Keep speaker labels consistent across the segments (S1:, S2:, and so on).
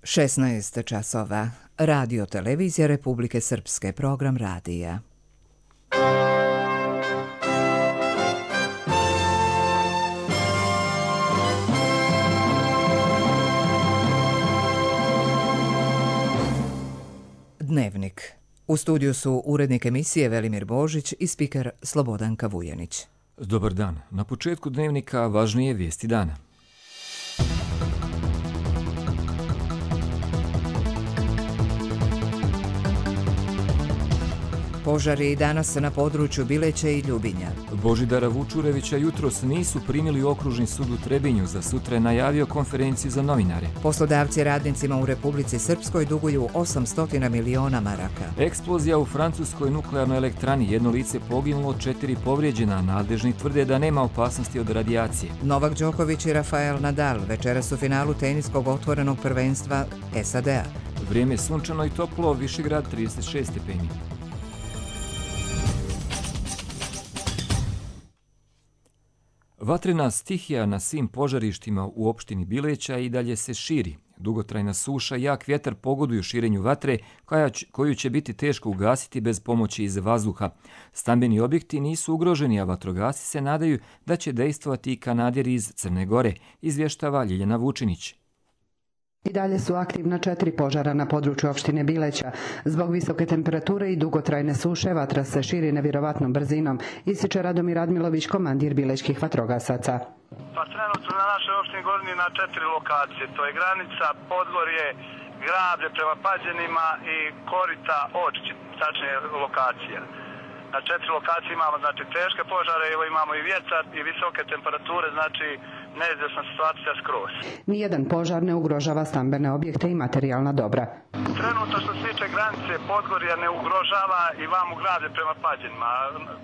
S1: 16 časova. Radio Televizija Republike Srpske, program radija. Dnevnik. U studiju su urednik emisije Velimir Božić i spiker Slobodanka Vujanić.
S2: Dobar dan. Na početku dnevnika važnije vijesti dana.
S1: Požari danas na području Bileća i Ljubinja.
S2: Božidara Vučurevića jutros nisu primili u okružni sud u Trebinju, za sutra je najavio konferenciju za novinare.
S1: Poslodavci radnicima u Republici Srpskoj duguju 800 miliona maraka.
S2: Eksplozija u francuskoj nuklearnoj elektrani, jedno lice poginulo, 4 povrijeđena, nadležni tvrde da nema opasnosti od radijacije.
S1: Novak Đoković i Rafael Nadal večeras u finalu teniskog otvorenog prvenstva SAD-a.
S2: Vrijeme je sunčano i toplo, Višegrad 36 stepeni. Vatrena stihija na svim požarištima u opštini Bileća i dalje se širi. Dugotrajna suša i jak vjetar pogoduju širenju vatre koju će biti teško ugasiti bez pomoći iz vazduha. Stambeni objekti nisu ugroženi, a vatrogasci se nadaju da će dejstvovati i kanaderi iz Crne Gore, izvještava Ljiljana Vučinić.
S3: I dalje su aktivna 4 požara na području opštine Bileća. Zbog visoke temperature i dugotrajne suše vatra se širi nevjerovatnom brzinom, ističe Radomir Radmilović, komandir bilećkih vatrogasaca.
S4: Pa trenutno na našoj opštini Gornji na 4 lokacije. To je granica, Podgorje, Grablje prema Pađenima i Korita, Očići, tačnije lokacija. Na 4 lokacije imamo teške požare, imamo i vjetar i visoke temperature, neizvjesna situacija skroz.
S3: Nijedan požar ne ugrožava stambene objekte i materijalna dobra.
S4: Trenutno što se tiče granice Podgorja ne ugrožava i vamo Grablje prema Pađenima.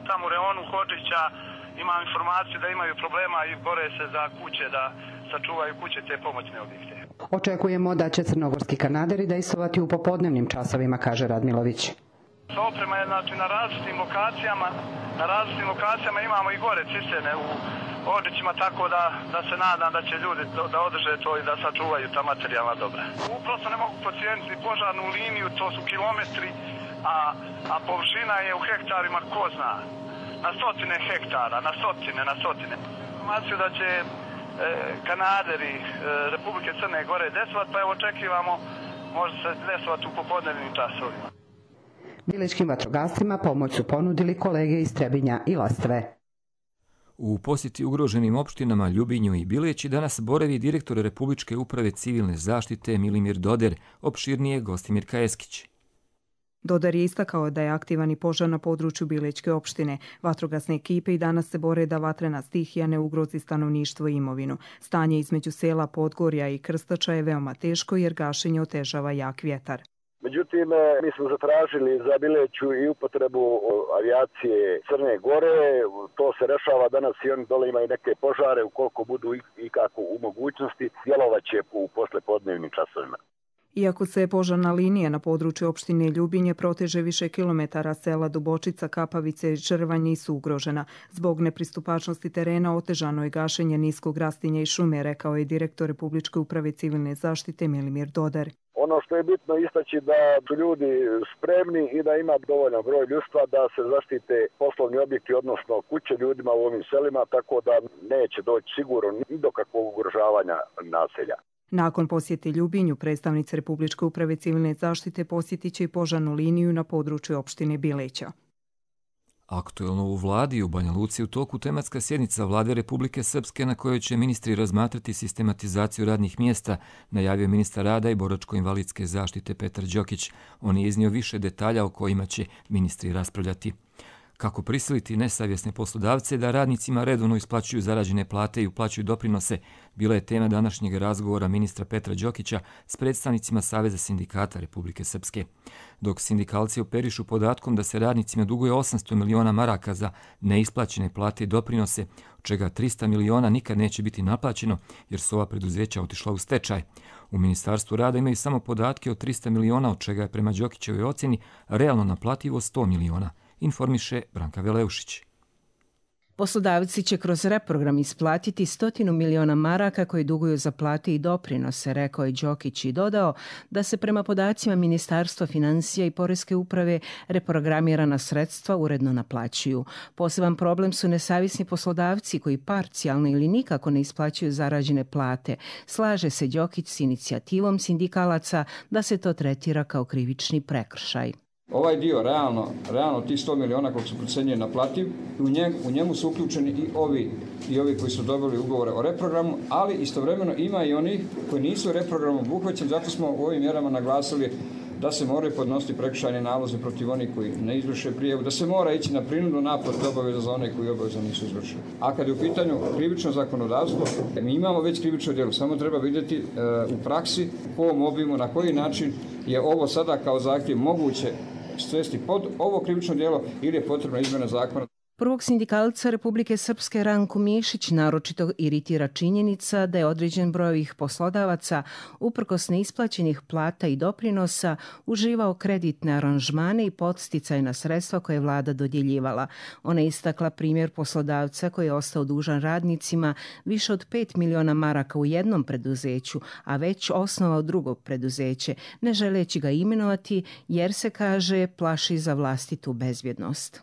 S4: Tamo u reonu Hođića imam informaciju da imaju problema i bore se za kuće, da sačuvaju kuće te pomoćne objekte.
S3: Očekujemo da će crnogorski kanaderi dejstvovati u popodnevnim časovima, kaže Radmilović.
S4: Oprema je na različitim lokacijama imamo i gore cisterne u Ođićima, tako da se nadam da će ljudi da održe to i da sačuvaju ta materijalna dobra. Uprosto ne mogu procijeniti požarnu liniju, to su kilometri, a površina je u hektarima ko zna. Na stotine hektara, na stotine. Informaciju da će kanaderi Republike Crne Gore desovat, pa evo očekivamo može se desovati u popodnevnim časovima.
S3: Bilećkim vatrogascima pomoć su ponudili kolege iz Trebinja i Lastve.
S2: U posjeti ugroženim opštinama Ljubinju i Bileći danas boravi direktor Republičke uprave civilne zaštite Milimir Doder, opširnije Gostimirka Eskić.
S5: Dodar je istakao da je aktivan i požar na području Bilećke opštine. Vatrogasne ekipe i danas se bore da vatrena stihija ne ugrozi stanovništvo i imovinu. Stanje između sela Podgorja i Krstača je veoma teško jer gašenje otežava jak vjetar.
S6: Međutim, mi smo zatražili za Bileću i upotrebu avijacije Crne Gore. To se rešava danas i oni dole imaju neke požare. Ukoliko budu i kako u mogućnosti, djelovaće u poslepodnevnim časovima.
S5: Iako se požarna linija na području opštine Ljubinje proteže više kilometara, sela Dubočica, Kapavice i Črvanj nisu ugrožena. Zbog nepristupačnosti terena otežano je gašenje niskog rastinja i šume, rekao je direktor Republičke uprave civilne zaštite Milimir Dodar.
S6: Ono što je bitno istaći da su ljudi spremni i da ima dovoljan broj ljudstva da se zaštite poslovni objekti, odnosno kuće ljudima u ovim selima, tako da neće doći sigurno ni do kakvog ugrožavanja naselja.
S5: Nakon posjete Ljubinju, predstavnici Republičke uprave civilne zaštite posjetit će i požarnu liniju na području opštine Bileća.
S2: Aktuelno u vladi u Banja Luci u toku tematska sjednica Vlade Republike Srpske na kojoj će ministri razmatrati sistematizaciju radnih mjesta, najavio ministar rada i boračko-invalidske zaštite Petar Đokić. On je iznio više detalja o kojima će ministri raspravljati. Kako prisiliti nesavjesne poslodavce da radnicima redovno isplaćuju zarađene plate i uplaćuju doprinose, bila je tema današnjeg razgovora ministra Petra Đokića s predstavnicima Saveza sindikata Republike Srpske. Dok sindikalci operišu podatkom da se radnicima duguje 800 miliona maraka za neisplaćene plate i doprinose, od čega 300 miliona nikad neće biti naplaćeno jer su ova preduzeća otišla u stečaj. U Ministarstvu rada imaju samo podatke o 300 miliona, od čega je prema Đokićevoj ocjeni realno naplativo 100 miliona. Informiše Branka Veleušić.
S7: Poslodavci će kroz reprogram isplatiti 100 miliona maraka koji duguju za plate i doprinose, rekao je Đokić i dodao da se prema podacima Ministarstva financija i Poreske uprave reprogramirana sredstva uredno naplaćuju. Poseban problem su nesavisni poslodavci koji parcijalno ili nikako ne isplaćuju zarađene plate. Slaže se Đokić s inicijativom sindikalaca da se to tretira kao krivični prekršaj.
S8: Ovaj dio, realno tih 100 miliona koliko su procenjeni naplativ, u njemu su uključeni i ovi koji su dobili ugovore o reprogramu, ali istovremeno ima i onih koji nisu reprogramom obuhvaćeni, zato smo u ovim mjerama naglasili da se moraju podnositi prekršajni nalozi protiv onih koji ne izvrše prijavu, da se mora ići na prinudnu naplatu obaveza za one koji obaveza nisu izvršili. A kad je u pitanju krivično zakonodavstvo, mi imamo već krivično djelo, samo treba vidjeti u praksi, u ovom obimu, na koji način je ovo sada kao zahtjev moguće svesti pod ovo krivično djelo ili je potrebna izmjena zakona.
S7: Prvog sindikalca Republike Srpske Ranku Mišić naročito iritira činjenica da je određen broj ovih poslodavaca uprkos neisplaćenih plata i doprinosa uživao kreditne aranžmane i podsticajna sredstva koje je vlada dodjeljivala. Ona je istakla primjer poslodavca koji je ostao dužan radnicima više od 5 miliona maraka u jednom preduzeću, a već osnovao drugo preduzeće, ne želeći ga imenovati jer se, kaže, plaši za vlastitu bezbjednost.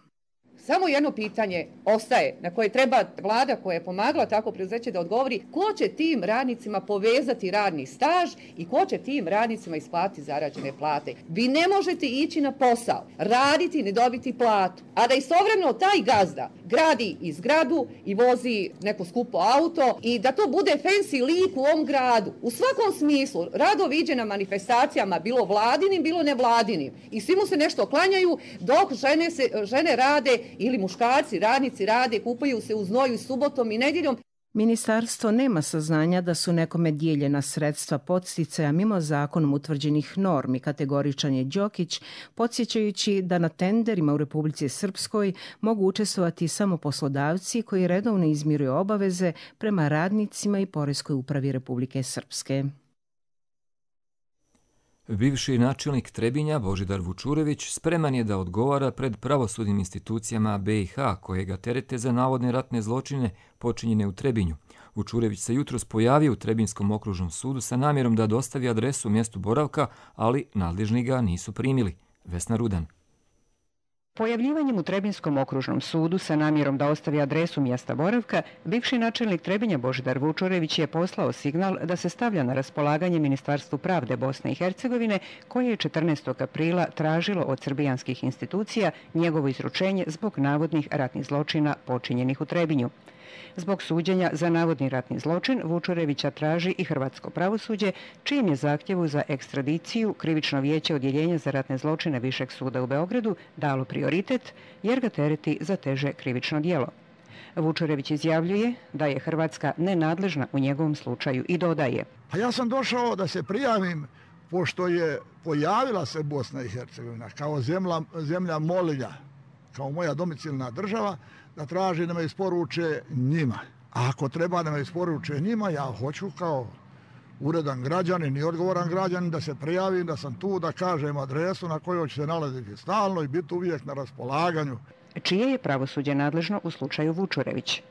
S9: Samo jedno pitanje ostaje na koje treba vlada koja je pomagala tako preduzeće da odgovori: ko će tim radnicima povezati radni staž i ko će tim radnicima isplatiti zarađene plate. Vi ne možete ići na posao, raditi, ne dobiti platu, a da istovremeno taj gazda gradi i zgradu i vozi neko skupo auto i da to bude fancy lik u ovom gradu. U svakom smislu rado viđe na manifestacijama, bilo vladinim, bilo nevladinim, i svi mu se nešto klanjaju dok žene rade ili muškarci, radnici rade, kupaju se u znoju subotom i nedjeljom.
S7: Ministarstvo nema saznanja da su nekome dijeljena sredstva podsticaja mimo zakonom utvrđenih normi, kategoričan je Đokić, podsjećajući da na tenderima u Republici Srpskoj mogu učestvovati samo poslodavci koji redovno izmiruju obaveze prema radnicima i Poreskoj upravi Republike Srpske.
S2: Bivši načelnik Trebinja Božidar Vučurević spreman je da odgovara pred pravosudnim institucijama BiH koje ga terete za navodne ratne zločine počinjene u Trebinju. Vučurević se jutros pojavio u Trebinjskom okružnom sudu sa namjerom da dostavi adresu mjestu boravka, ali nadležni ga nisu primili. Vesna Rudan.
S10: Pojavljivanjem u Trebinskom okružnom sudu sa namjerom da ostavi adresu mjesta boravka, bivši načelnik Trebinja Božidar Vučurević je poslao signal da se stavlja na raspolaganje Ministarstvu pravde Bosne i Hercegovine, koje je 14. aprila tražilo od srbijanskih institucija njegovo izručenje zbog navodnih ratnih zločina počinjenih u Trebinju. Zbog suđenja za navodni ratni zločin Vučurevića traži i hrvatsko pravosuđe, čijem je zahtjevu za ekstradiciju Krivično vijeće Odjeljenja za ratne zločine Višeg suda u Beogradu dalo prioritet jer ga tereti za teže krivično djelo. Vučurević izjavljuje da je Hrvatska nenadležna u njegovom slučaju i dodaje:
S11: A ja sam došao da se prijavim pošto je pojavila se Bosna i Hercegovina kao zemlja molilja, kao moja domicilna država, da traži da me isporuče njima. A ako treba da me isporuče njima, ja hoću kao uredan građanin i odgovoran građanin da se prijavim, da sam tu, da kažem adresu na kojoj će se nalaziti stalno i biti uvijek na raspolaganju.
S10: Čije je pravosuđe nadležno u slučaju Vučurević?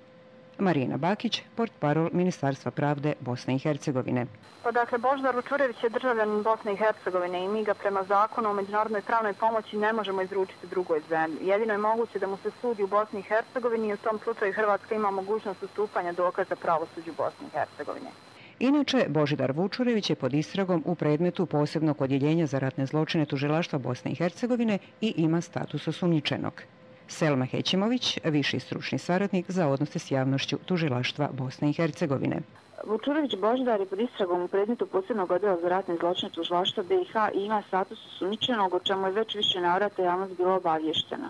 S10: Marijana Bakić, portparol Ministarstva pravde Bosne i Hercegovine.
S12: Dakle, Božidar Vučurević je državljanin Bosne i Hercegovine i mi ga prema zakonu o međunarodnoj pravnoj pomoći ne možemo izručiti drugoj zemlji. Jedino je moguće da mu se sudi u Bosni i Hercegovini i u tom slučaju Hrvatska ima mogućnost ustupanja dokaza pravosuđu Bosne i Hercegovine.
S10: Inače, Božidar Vučurević je pod istragom u predmetu posebnog odjeljenja za ratne zločine Tužilaštva Bosne i Hercegovine i ima status osumnjičenog. Selma Hećimović, viši stručni saradnik za odnose s javnošću Tužilaštva Bosne i Hercegovine.
S12: Vučurević Božidar je pod istragom u predmetu posebnog odjela za ratne zločine Tužilaštva BiH i ima status osumnjičenog, o čemu je već više navrata javnost bila obavještena.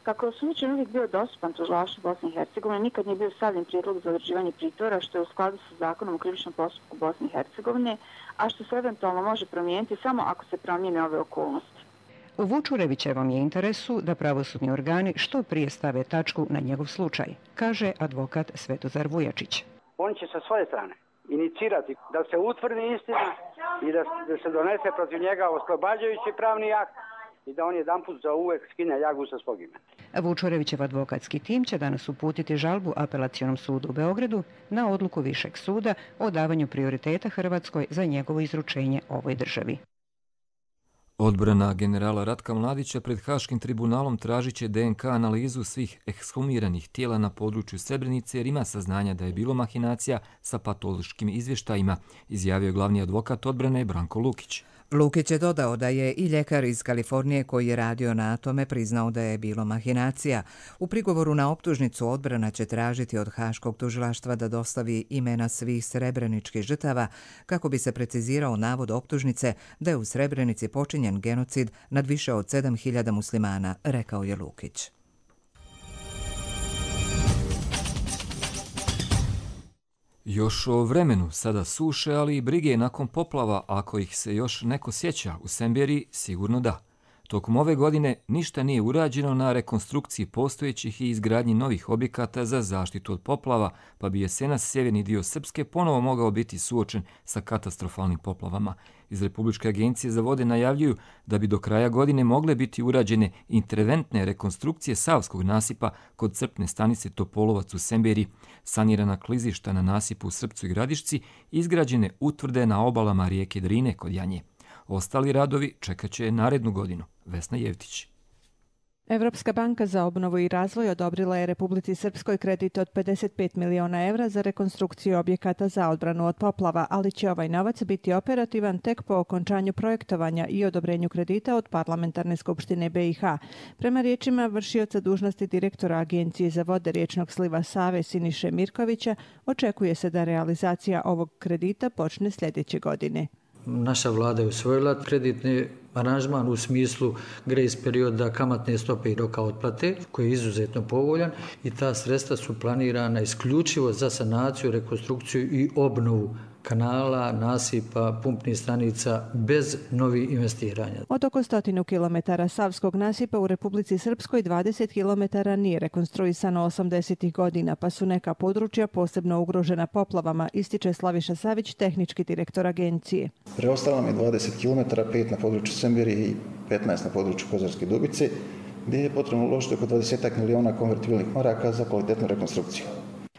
S12: Kako je osumnjičen uvijek bio dostupan Tužilaštvu Bosne i Hercegovine, nikad nije bio stavljen prijedlog za određivanje pritvora, što je u skladu sa zakonom o krivičnom postupku Bosne i Hercegovine, a što se eventualno može promijeniti samo ako se promijene ove okolnosti.
S10: U Vučurevićevom je interesu da pravosudni organi što prije stave tačku na njegov slučaj, kaže advokat Svetozar Vujačić.
S13: On će sa svoje strane inicirati da se utvrdi istina i da se donese protiv njega oslobađajući pravni akt i da on jedanput za uvek skine ljagu sa svog imena.
S10: Vučurevićev advokatski tim će danas uputiti žalbu Apelacionom sudu u Beogradu na odluku Višeg suda o davanju prioriteta Hrvatskoj za njegovo izručenje ovoj državi.
S2: Odbrana generala Ratka Mladića pred Haškim tribunalom tražit će DNK analizu svih ekshumiranih tijela na području Srebrenice jer ima saznanja da je bilo mahinacija sa patološkim izvještajima, izjavio glavni advokat odbrane Branko Lukić.
S1: Lukić je dodao da je i ljekar iz Kalifornije koji je radio na tome priznao da je bilo mahinacija. U prigovoru na optužnicu odbrana će tražiti od Haškog tužilaštva da dostavi imena svih srebreničkih žrtava kako bi se precizirao navod optužnice da je u Srebrenici počinjen genocid nad više od 7.000 muslimana, rekao je Lukić.
S2: Još o vremenu, sada suše, ali i brige nakon poplava, ako ih se još neko sjeća u Semberiji, sigurno da. Tokom ove godine ništa nije urađeno na rekonstrukciji postojećih i izgradnji novih objekata za zaštitu od poplava, pa bi jesenas sjeverni dio Srpske ponovo mogao biti suočen sa katastrofalnim poplavama. Iz Republičke agencije za vode najavljuju da bi do kraja godine mogle biti urađene interventne rekonstrukcije Savskog nasipa kod crpne stanice Topolovac u Semberiji, sanirana klizišta na nasipu u Srpcu i Gradišci, izgrađene utvrde na obalama rijeke Drine kod Janje. Ostali radovi čekat će narednu godinu. Vesna Jevtić.
S14: Evropska banka za obnovu i razvoj odobrila je Republici Srpskoj kredit od 55 miliona evra za rekonstrukciju objekata za odbranu od poplava, ali će ovaj novac biti operativan tek po okončanju projektovanja i odobrenju kredita od Parlamentarne skupštine BiH. Prema riječima vršioca dužnosti direktora Agencije za vode riječnog sliva Save Siniše Mirkovića, očekuje se da realizacija ovog kredita počne sljedeće godine.
S15: Naša vlada je usvojila kreditni aranžman u smislu grace perioda, kamatne stope i roka otplate, koji je izuzetno povoljan i ta sredstva su planirana isključivo za sanaciju, rekonstrukciju i obnovu kanala, nasipa, pumpnih stanica bez novih investiranja.
S14: Od oko 100 kilometara Savskog nasipa u Republici Srpskoj 20 kilometara nije rekonstruisano 80. godina, pa su neka područja posebno ugrožena poplavama, ističe Slaviša Savić, tehnički direktor agencije.
S16: Preostalo nam je 20 kilometara, 5 na području Semberije i 15 na području Kozarske Dubice, gdje je potrebno uložiti oko 20 miliona konvertibilnih maraka za kvalitetnu rekonstrukciju.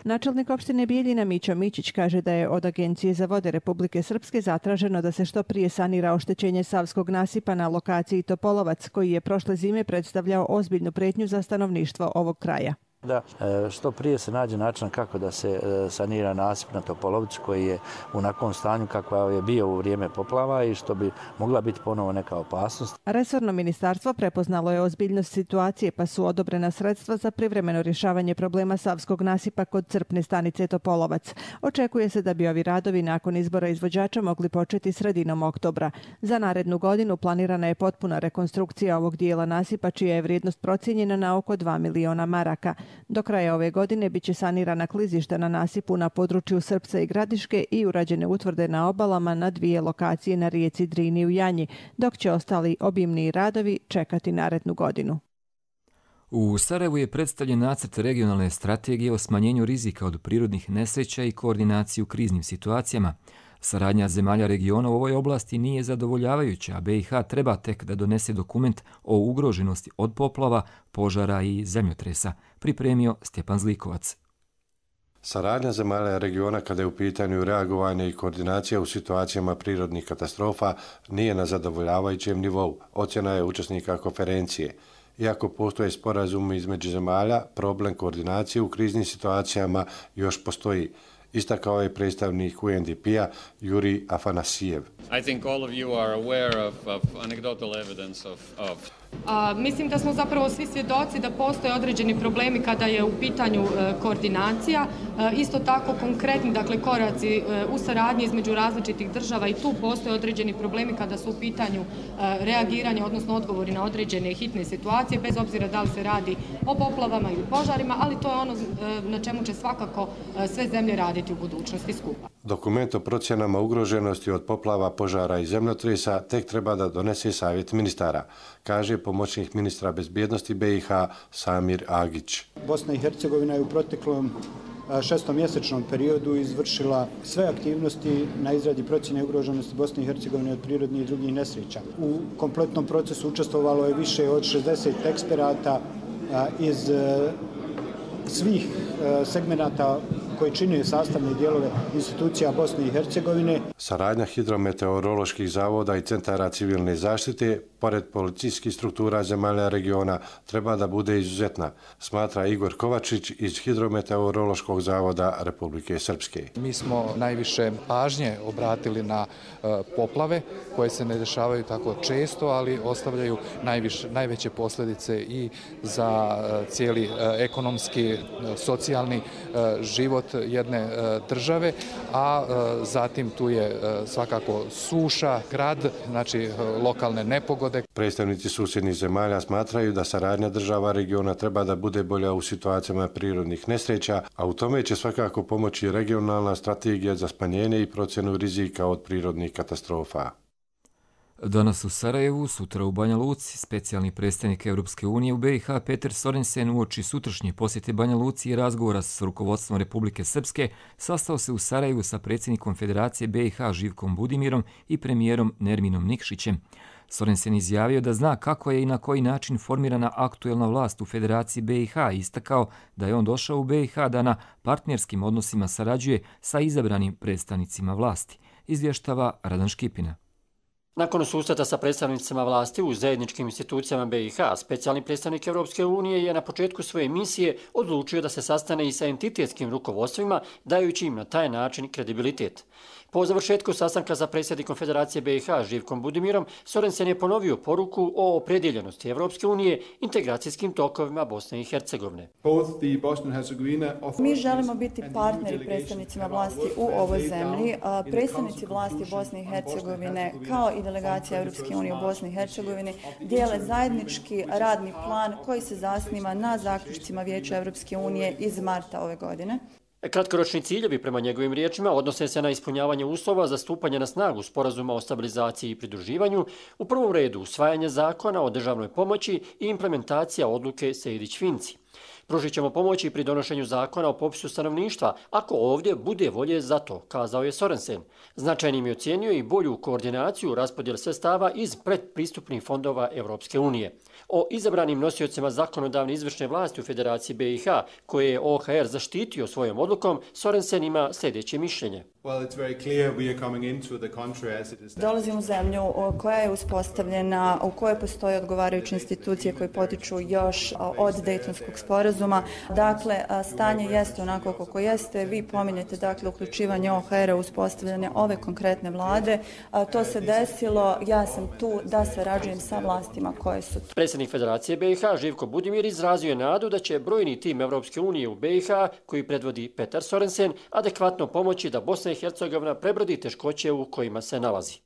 S14: Načelnik opštine Bijeljina Mićo Mićić kaže da je od Agencije za vode Republike Srpske zatraženo da se što prije sanira oštećenje Savskog nasipa na lokaciji Topolovac, koji je prošle zime predstavljao ozbiljnu pretnju za stanovništvo ovog kraja.
S17: Da što prije se nađe način kako da se sanira nasip na Topolovcu koji je u onakvom stanju kakva je bio u vrijeme poplava i što bi mogla biti ponovo neka opasnost.
S14: Resorno ministarstvo prepoznalo je ozbiljnost situacije pa su odobrena sredstva za privremeno rješavanje problema Savskog nasipa kod crpne stanice Topolovac. Očekuje se da bi ovi radovi nakon izbora izvođača mogli početi sredinom oktobra. Za narednu godinu planirana je potpuna rekonstrukcija ovog dijela nasipa čija je vrijednost procijenjena na oko 2 miliona maraka. Do kraja ove godine biće sanirana klizišta na nasipu na području Srpca i Gradiške i urađene utvrde na obalama na 2 lokacije na rijeci Drini u Janji, dok će ostali obimni radovi čekati narednu godinu.
S2: U Sarajevu je predstavljen nacrt regionalne strategije o smanjenju rizika od prirodnih nesreća i koordinaciji u kriznim situacijama. Saradnja zemalja regiona u ovoj oblasti nije zadovoljavajuća, a BiH treba tek da donese dokument o ugroženosti od poplava, požara i zemljotresa, pripremio Stjepan Zlikovac.
S18: Saradnja zemalja regiona kada je u pitanju reagovanje i koordinacija u situacijama prirodnih katastrofa nije na zadovoljavajućem nivou, ocjena je učesnika konferencije. Iako postoje sporazumi između zemalja, problem koordinacije u kriznim situacijama još postoji. Istakao je predstavnik UNDP-a Juri Afanasijev.
S19: I think all of you are aware of anecdotal evidence of
S20: Mislim da smo zapravo svi svjedoci da postoje određeni problemi kada je u pitanju koordinacija. Isto tako konkretni koraci u saradnji između različitih država i tu postoje određeni problemi kada su u pitanju reagiranje, odnosno odgovori na određene hitne situacije, bez obzira da li se radi o poplavama ili požarima, ali to je ono na čemu će svakako sve zemlje raditi u budućnosti skupa.
S18: Dokument o procjenama ugroženosti od poplava, požara i zemljotresa tek treba da donese savjet ministara, kaže pomoćnik ministra bezbjednosti BiH Samir Agić.
S21: Bosna i Hercegovina je u proteklom šestomjesečnom periodu izvršila sve aktivnosti na izradi procjene ugroženosti Bosne i Hercegovine od prirodnih i drugih nesreća. U kompletnom procesu učestvovalo je više od 60 eksperata iz svih segmenata koji čine sastavne dijelove institucija Bosne i Hercegovine.
S18: Saradnja hidrometeoroloških zavoda i centara civilne zaštite, pored policijskih struktura zemalja regiona, treba da bude izuzetna, smatra Igor Kovačić iz Hidrometeorološkog zavoda Republike Srpske.
S22: Mi smo najviše pažnje obratili na poplave koje se ne dešavaju tako često, ali ostavljaju najveće posljedice i za cijeli ekonomski, socijalni život jedne države, a zatim tu je svakako suša, grad, znači lokalne nepogode.
S18: Predstavnici susjednih zemalja smatraju da saradnja država regiona treba da bude bolja u situacijama prirodnih nesreća, a u tome će svakako pomoći regionalna strategija za smanjenje i procjenu rizika od prirodnih katastrofa.
S2: Danas u Sarajevu, sutra u Banja Luci, specijalni predstavnik Europske unije u BiH Peter Sorensen uoči sutrašnje posjete Banja Luci i razgovora s rukovodstvom Republike Srpske sastao se u Sarajevu sa predsjednikom Federacije BiH Živkom Budimirom i premijerom Nerminom Nikšićem. Sorensen izjavio da zna kako je i na koji način formirana aktuelna vlast u Federaciji BiH i istakao da je on došao u BiH da na partnerskim odnosima sarađuje sa izabranim predstavnicima vlasti, izvještava Radan Škipina.
S23: Nakon susreta sa predstavnicima vlasti u zajedničkim institucijama BiH, specijalni predstavnik Europske unije je na početku svoje misije odlučio da se sastane i sa entitetskim rukovodstvima, dajući im na taj način kredibilitet. Po završetku sastanka sa predsjednikom Federacije BiH Živkom Budimirom, Sorensen je ponovio poruku o opredjeljenosti Europske unije integracijskim tokovima Bosne i Hercegovine.
S24: Mi želimo biti partneri predstavnicima vlasti u ovoj zemlji. Predstavnici vlasti Bosne i Hercegovine kao i delegacija Europske unije u Bosni i Hercegovini dijele zajednički radni plan koji se zasniva na zaključcima Vijeća Europske unije iz marta ove godine.
S23: Kratkoročni ciljevi prema njegovim riječima odnose se na ispunjavanje uslova za stupanje na snagu sporazuma o stabilizaciji i pridruživanju, u prvom redu usvajanje zakona o državnoj pomoći i implementacija odluke Sejdić-Finci. Pružit ćemo pomoći pri donošenju zakona o popisu stanovništva, ako ovdje bude volje za to, kazao je Sorensen. Značajnim je ocijenio i bolju koordinaciju raspodjele sredstava iz predpristupnih fondova Europske unije. O izabranim nosiocima zakonodavne izvršne vlasti u Federaciji BiH, koje je OHR zaštitio svojom odlukom, Sorensen ima sljedeće mišljenje.
S24: Dolazimo u zemlju koja je uspostavljena, u kojoj postoje odgovarajuće institucije koje potiču još od Dejtonskog sporazuma. Dakle, stanje jeste onako kako jeste. Vi pominjete dakle uključivanje OHR-a u uspostavljanje ove konkretne vlade. To se desilo, ja sam tu da sarađujem sa vlastima koje su tu.
S23: Predsjednik Federacije BiH Živko Budimir izrazio je nadu da će brojni tim Europske unije u BiH, koji predvodi Petar Sorensen, adekvatno pomoći da Bosna i Hercegovina prebrodi teškoće u kojima se nalazi.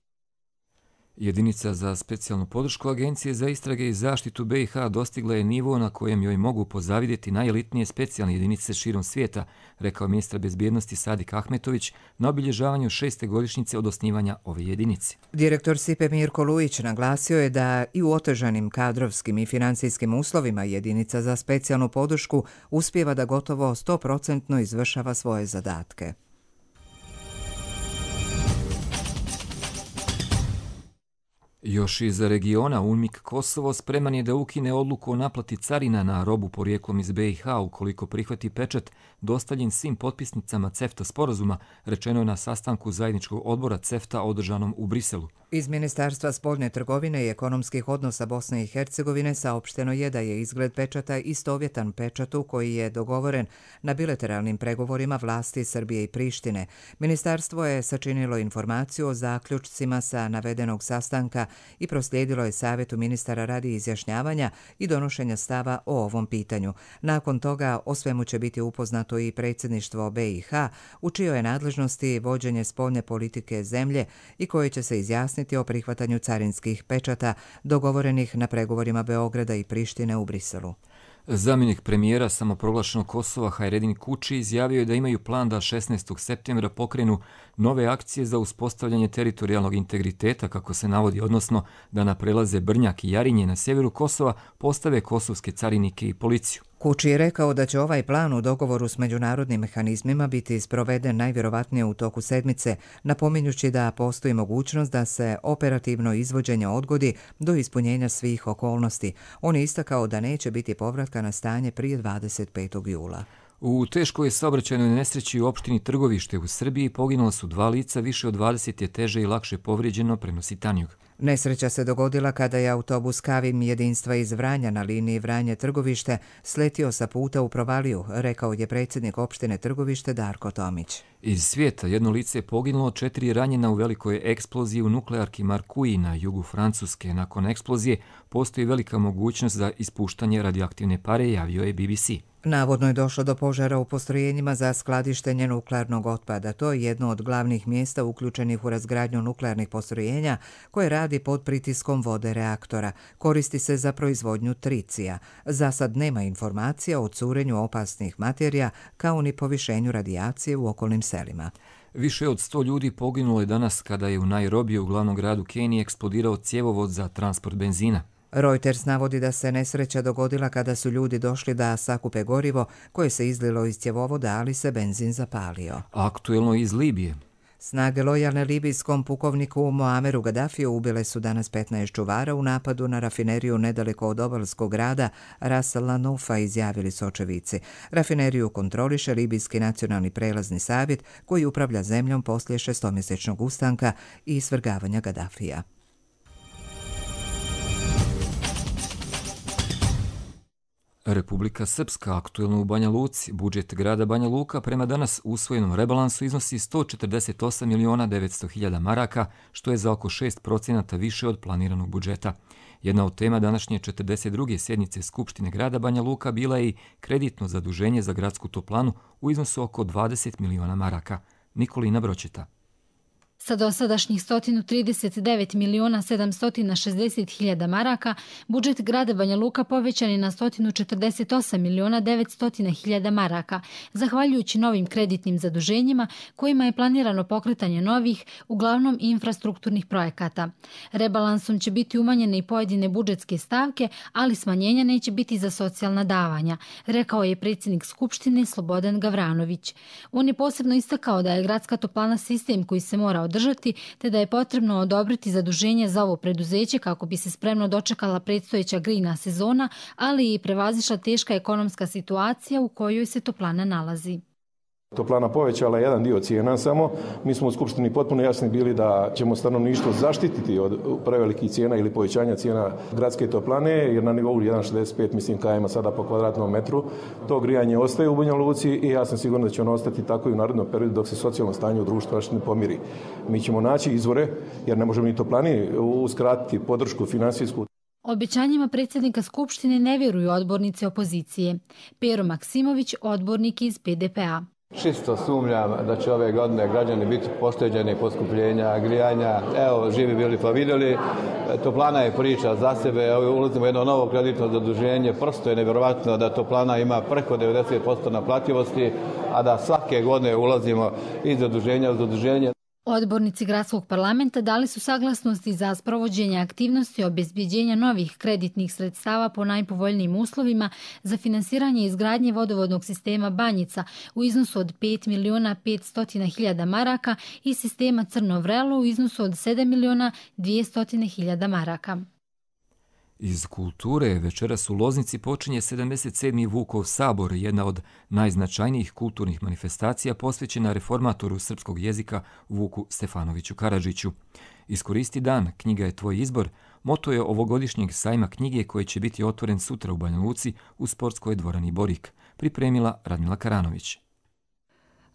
S2: Jedinica za specijalnu podršku Agencije za istrage i zaštitu BiH dostigla je nivo na kojem joj mogu pozavidjeti najelitnije specijalne jedinice širom svijeta, rekao ministar bezbjednosti Sadik Ahmetović na obilježavanju 6. godišnjice od osnivanja ove jedinice.
S1: Direktor SIPE Mirko Lujić naglasio je da i u otežanim kadrovskim i financijskim uslovima jedinica za specijalnu podršku uspijeva da gotovo 100% izvršava svoje zadatke.
S2: Još iz regiona UNMIK Kosovo spreman je da ukine odluku o naplati carina na robu porijeklom iz BiH ukoliko prihvati pečat dostavljen svim potpisnicama CEFTA sporazuma, rečeno je na sastanku zajedničkog odbora CEFTA održanom u Briselu.
S1: Iz Ministarstva spoljne trgovine i ekonomskih odnosa Bosne i Hercegovine saopšteno je da je izgled pečata istovjetan pečatu koji je dogovoren na bilateralnim pregovorima vlasti Srbije i Prištine. Ministarstvo je sačinilo informaciju o zaključcima sa navedenog sastanka i proslijedilo je savjetu ministara radi izjašnjavanja i donošenja stava o ovom pitanju. Nakon toga o svemu će biti upoznato i predsjedništvo BiH, u čijoj je nadležnosti vođenje spoljne politike zemlje i koje će se izjasniti o prihvatanju carinskih pečata dogovorenih na pregovorima Beograda i Prištine u Briselu.
S2: Zamjenik premijera samoproglašenog Kosova Hajredin Kuči izjavio je da imaju plan da 16. septembra pokrenu nove akcije za uspostavljanje teritorijalnog integriteta, kako se navodi, odnosno da na prelaze Brnjak i Jarinje na sjeveru Kosova postave kosovske carinike i policiju.
S1: Kuči je rekao da će ovaj plan u dogovoru s međunarodnim mehanizmima biti sproveden najvjerovatnije u toku sedmice, napominjući da postoji mogućnost da se operativno izvođenje odgodi do ispunjenja svih okolnosti. On je istakao da neće biti povratka na stanje prije 25. jula.
S2: U teškoj saobraćajnoj nesreći u opštini Trgovište u Srbiji poginula su 2 lica, više od 20 je teže i lakše povrijeđeno, prenosi Tanjug.
S1: Nesreća se dogodila kada je autobus Kavim jedinstva iz Vranja na liniji Vranje-Trgovište sletio sa puta u provaliju, rekao je predsjednik opštine Trgovište Darko Tomić.
S2: Iz svijeta jedno lice je poginulo, 4 ranjena u velikoj eksploziji u nuklearki Markuji na jugu Francuske. Nakon eksplozije postoji velika mogućnost za ispuštanje radioaktivne pare, javio je BBC.
S1: Navodno je došlo do požara u postrojenjima za skladištenje nuklearnog otpada. To je jedno od glavnih mjesta uključenih u razgradnju nuklearnih postrojenja koje radi pod pritiskom vode reaktora. Koristi se za proizvodnju tricija. Za sad nema informacija o curenju opasnih materija kao ni povišenju radijacije u okolnim selima.
S2: Više od 100 ljudi poginulo je danas kada je u Nairobiju, u glavnom gradu Kenije, eksplodirao cjevovod za transport benzina.
S1: Reuters navodi da se nesreća dogodila kada su ljudi došli da sakupe gorivo koje se izlilo iz cjevovoda, ali se benzin zapalio.
S2: Aktuelno iz Libije.
S1: Snage lojalne libijskom pukovniku Muameru Gaddafiju ubile su danas 15 čuvara u napadu na rafineriju nedaleko od obalskog grada Ras Lanufa, izjavili su očevici. Rafineriju kontroliše Libijski nacionalni prelazni savjet koji upravlja zemljom poslije 6-mjesečnog ustanka i svrgavanja Gaddafija.
S2: Republika Srpska, aktuelno u Banja Luci. Budžet grada Banja Luka prema danas usvojenom rebalansu iznosi 148.900.000 maraka, što je za oko 6% više od planiranog budžeta. Jedna od tema današnje 42. sjednice Skupštine grada Banja Luka bila je i kreditno zaduženje za gradsku toplanu u iznosu oko 20 miliona maraka. Nikolina Bročeta.
S3: Sa dosadašnjih 139.760.000 maraka, budžet grada Banja Luka povećan je na 148.900.000 maraka, zahvaljujući novim kreditnim zaduženjima kojima je planirano pokretanje novih, uglavnom infrastrukturnih projekata. Rebalansom će biti umanjene i pojedine budžetske stavke, ali smanjenja neće biti za socijalna davanja, rekao je predsjednik Skupštine Slobodan Gavranović. On je posebno istakao da je gradska toplana sistem koji se mora održati, te da je potrebno odobriti zaduženje za ovo preduzeće kako bi se spremno dočekala predstojeća grejna sezona, ali i prevazišla teška ekonomska situacija u kojoj se toplana nalazi.
S4: Toplana povećala jedan dio cijena samo. Mi smo u Skupštini potpuno jasni bili da ćemo stanovništvo zaštititi od prevelikih cijena ili povećanja cijena gradske toplane, jer na nivou 1,65 mislim km sada po kvadratnom metru to grijanje ostaje u Banja Luci i ja sam siguran da će ono ostati tako i u narednom periodu dok se socijalno stanje u društvu ne pomiri. Mi ćemo naći izvore jer ne možemo ni toplani uskratiti podršku finansijsku.
S3: Obećanjima predsjednika Skupštine ne vjeruju odbornici opozicije. Pero Maksimović, odbornik iz PDP-a.
S5: Čisto sumnjam da će ove godine građani biti pošteđeni poskupljenja, grijanja. Evo, živi bili pa vidjeli. Toplana je priča za sebe. Ulazimo u jedno novo kreditno zaduženje. Prosto je nevjerovatno da toplana ima preko 90% naplativosti, a da svake godine ulazimo iz zaduženja u zaduženje.
S3: Odbornici gradskog parlamenta dali su saglasnosti za sprovođenje aktivnosti obezbeđenja novih kreditnih sredstava po najpovoljnijim uslovima za finansiranje izgradnje vodovodnog sistema Banjica u iznosu od 5.500.000 maraka i sistema Crno vrelo u iznosu od 7.200.000 maraka.
S2: Iz kulture večeras u Loznici počinje 77. Vukov sabor, jedna od najznačajnijih kulturnih manifestacija posvećena reformatoru srpskog jezika Vuku Stefanoviću Karadžiću. Iskoristi dan, knjiga je tvoj izbor, moto je ovogodišnjeg sajma knjige koji će biti otvoren sutra u Banja Luci u sportskoj dvorani Borik, pripremila Radmila Karanović.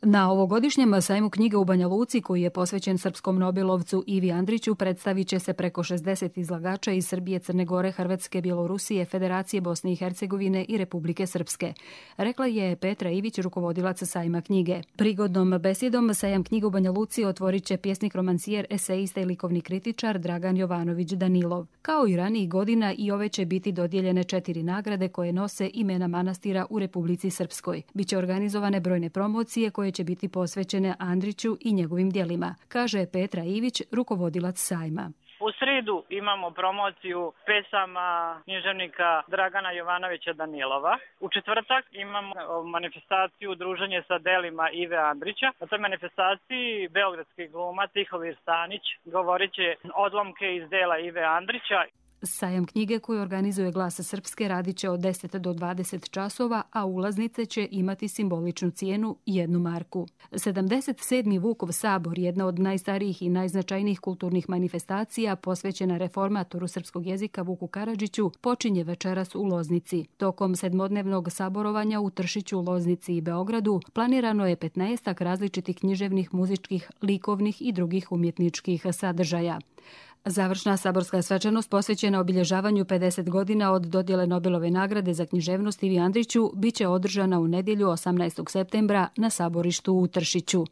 S6: Na ovogodišnjem sajmu knjige u Banja Luci, koji je posvećen srpskom nobelovcu Ivi Andriću, predstavit će se preko 60 izlagača iz Srbije, Crne Gore, Hrvatske, Bjelorusije, Federacije Bosne i Hercegovine i Republike Srpske. Rekla je Petra Ivić, rukovodilac sajma knjige. Prigodnom besedom sajam knjige u Banja Luci otvorit će pjesnik, romancijer, esejista i likovni kritičar Dragan Jovanović Danilov. Kao i ranijih godina, i ove će biti dodijeljene 4 nagrade koje nose imena manastira u Republici Srpskoj. Biće organizovane brojne promocije koje će biti posvećene Andriću i njegovim djelima, kaže Petra Ivić, rukovodilac sajma.
S25: U
S7: sredu imamo promociju pesama književnika Dragana Jovanovića Danilova. U četvrtak imamo manifestaciju druženje sa delima Ive Andrića. Na toj manifestaciji beogradski glumac Tihomir Stanić govorit će odlomke iz dela Ive Andrića.
S6: Sajam knjige koji organizuje Glas Srpske radit će od 10 do 20 časova, a ulaznice će imati simboličnu cijenu 1 marku. 77. Vukov sabor, jedna od najstarijih i najznačajnijih kulturnih manifestacija posvećena reformatoru srpskog jezika Vuku Karadžiću, počinje večeras u Loznici. Tokom 7-dnevnog saborovanja u Tršiću, Loznici i Beogradu planirano je 15 različitih književnih, muzičkih, likovnih i drugih umjetničkih sadržaja. Završna saborska svečanost posvećena obilježavanju 50 godina od dodjele Nobelove nagrade za književnost Ivi Andriću biće održana u nedjelju 18. septembra na saborištu u Tršiću.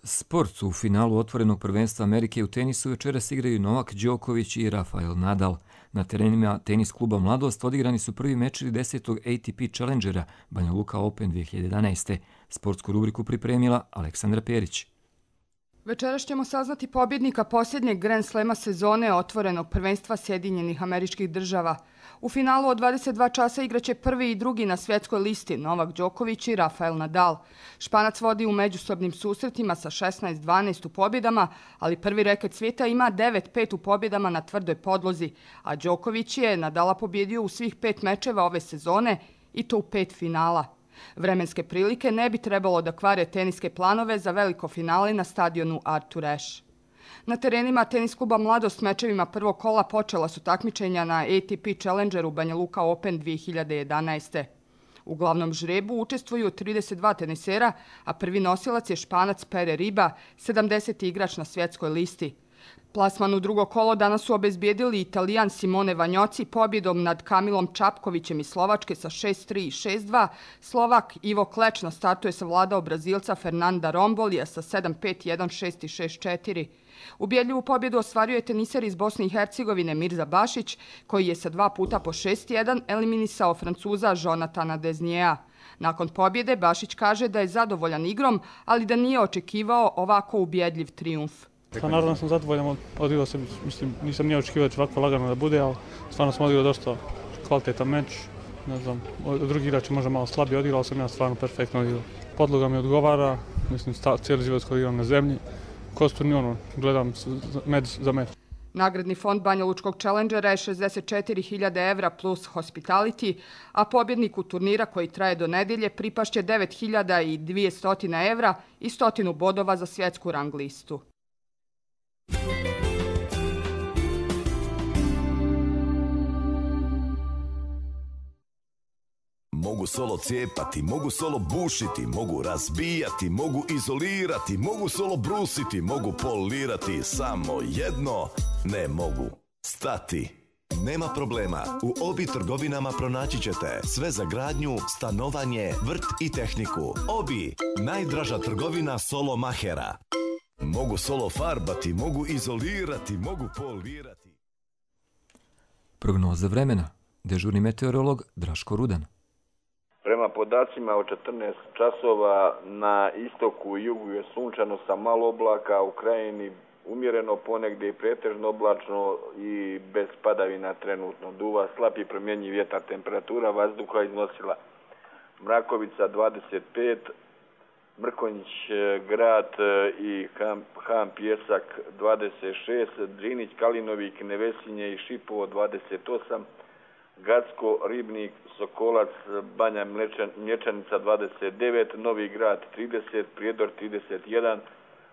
S2: Sport u finalu otvorenog prvenstva Amerike u tenisu večeras igraju Novak Đoković i Rafael Nadal. Na terenima tenis kluba Mladost odigrani su prvi mečevi 10. ATP Challengera Banja Luka Open 2011. Sportsku rubriku pripremila Aleksandra Perić.
S8: Večeras ćemo saznati pobjednika posljednjeg Grand Slema sezone otvorenog prvenstva Sjedinjenih Američkih Država. U finalu od 22 časa igraće prvi i drugi na svjetskoj listi Novak Đoković i Rafael Nadal. Španac vodi u međusobnim susretima sa 16-12 u pobjedama, ali prvi reket svijeta ima 9-5 u pobjedama na tvrdoj podlozi, a Đoković je Nadala pobjedio u svih 5 mečeva ove sezone i to u 5 finala. Vremenske prilike ne bi trebalo da kvare teniske planove za veliko finale na stadionu Arthur Ashe. Na terenima tenis kluba Mladost mečevima prvog kola počela su takmičenja na ATP Challengeru Banja Luka Open 2011. U glavnom žrebu učestvuju 32 tenisera, a prvi nosilac je Španac Pere Riba, 70. igrač na svjetskoj listi. Plasman u drugo kolo danas su obezbijedili Italijan Simone Vanjoci pobjedom nad Kamilom Čapkovićem iz Slovačke sa 6-3 i 6-2. Slovak Ivo Kleč na startu je savladao Brazilca Fernanda Rombolija sa 7-5, 1-6 i 6-4. Ubjedljivu pobjedu ostvario je teniser iz Bosne i Hercegovine Mirza Bašić, koji je sa 2 puta po 6-1 eliminisao Francuza Jonatana Desniea. Nakon pobjede Bašić kaže da je zadovoljan igrom, ali da nije očekivao ovako ubjedljiv trijumf.
S9: Pa naravno sam zadovoljan, odigrao sam, mislim, nisam nije očekivao da će ovako lagano da bude, ali stvarno sam odigrao dosta kvalitetan meč. Ne znam, drugi igrači možda malo slabije odigrao, ali sam ja stvarno perfektno odigrao. Podloga mi odgovara, mislim, cijeli život koji igram na zemlji. Kosturni, gledam meč za meč.
S8: Nagradni fond Banja Lučkog Challengera je 64.000 evra plus hospitality, a pobjedniku turnira koji traje do nedjelje pripašće 9.200 evra i 100 bodova za svjetsku rang listu.
S11: Mogu solo cijepati, mogu solo bušiti, mogu razbijati, mogu izolirati, mogu solo brusiti, mogu polirati, samo jedno ne mogu stati. Nema problema, u Obi trgovinama pronaći ćete sve za gradnju, stanovanje, vrt i tehniku. Obi, najdraža trgovina solo mahera. Mogu solo farbati, mogu izolirati, mogu polirati.
S2: Prognoza vremena. Dežurni meteorolog Draško Rudan.
S25: Prema podacima od 14 časova na istoku i jugu je sunčano sa malo oblaka, u krajini umjereno ponegdje i pretežno oblačno i bez padavina trenutno. Duva slab i promjenjiv vjetar, temperatura vazduha iznosila Mrakovica 25, Mrkonjić grad i Ham Pjesak 26, Drinić, Kalinovik, Nevesinje i Šipovo 28, Gacko, Ribnik, Sokolac, Banja Mlječanica 29, Novi grad 30, Prijedor 31,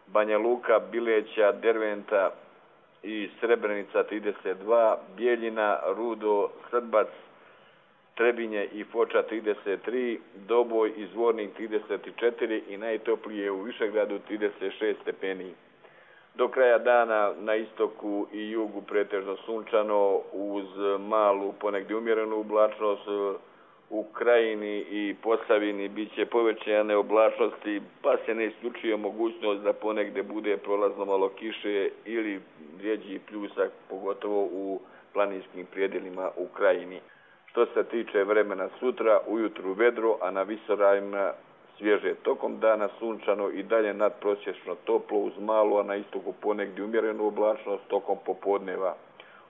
S25: Banja Luka, Bileća, Derventa i Srebrenica 32, Bijeljina, Rudo, Srbac, Trebinje i Foča 33, Doboj i Zvornik 34 i najtoplije u Višegradu 36 stepeni. Do kraja dana na istoku i jugu pretežno sunčano uz malu ponegdje umjerenu oblačnost, u Krajini i Posavini bit će povećane oblačnosti, pa se ne isključuje mogućnost da ponegdje bude prolazno malo kiše ili rjeđi pljusak, pogotovo u planinskim predjelima u Krajini. Što se tiče vremena sutra, ujutru vedro, a na visoravnima svježe. Tokom dana sunčano i dalje nadprosječno toplo uz malo, a na istoku ponegdje umjerenu oblačnost tokom popodneva.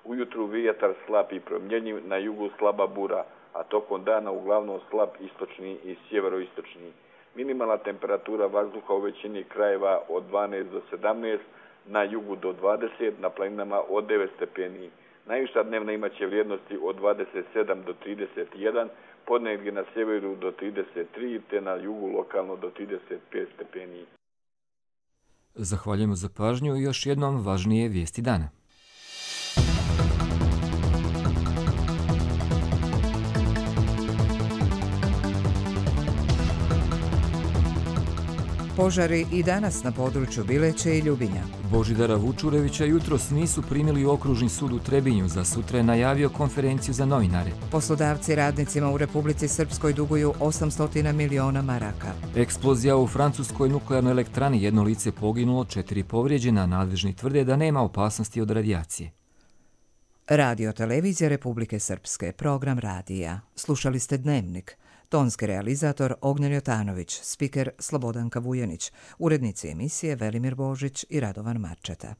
S25: Ujutru vjetar slab i promjenjiv, na jugu slaba bura, a tokom dana uglavnom slab istočni i sjeveroistočni. Minimalna temperatura vazduha u većini krajeva od 12 do 17, na jugu do 20, na planinama od 9 stepeni. Najviša dnevna imaće vrijednosti od 27 do 31, ponegdje na sjeveru do 33, te na jugu lokalno do 35 stepeni.
S2: Zahvaljujemo za pažnju i još jednom važnije vijesti dana.
S1: Požari i danas na području Bileće i Ljubinja.
S2: Božidara Vučurevića jutros nisu primili u okružni sud u Trebinju, za sutra je najavio konferenciju za novinare.
S1: Poslodavci radnicima u Republici Srpskoj duguju 800 miliona maraka.
S2: Eksplozija u francuskoj nuklearnoj elektrani, jedno lice poginulo, 4 povrijeđena, nadležni tvrde da nema opasnosti od radijacije.
S1: Radio Televizija Republike Srpske, program radija. Slušali ste Dnevnik. Tonski realizator Ognjen Jotanović, spiker Slobodanka Vujanić, urednici emisije Velimir Božić i Radovan Marčeta.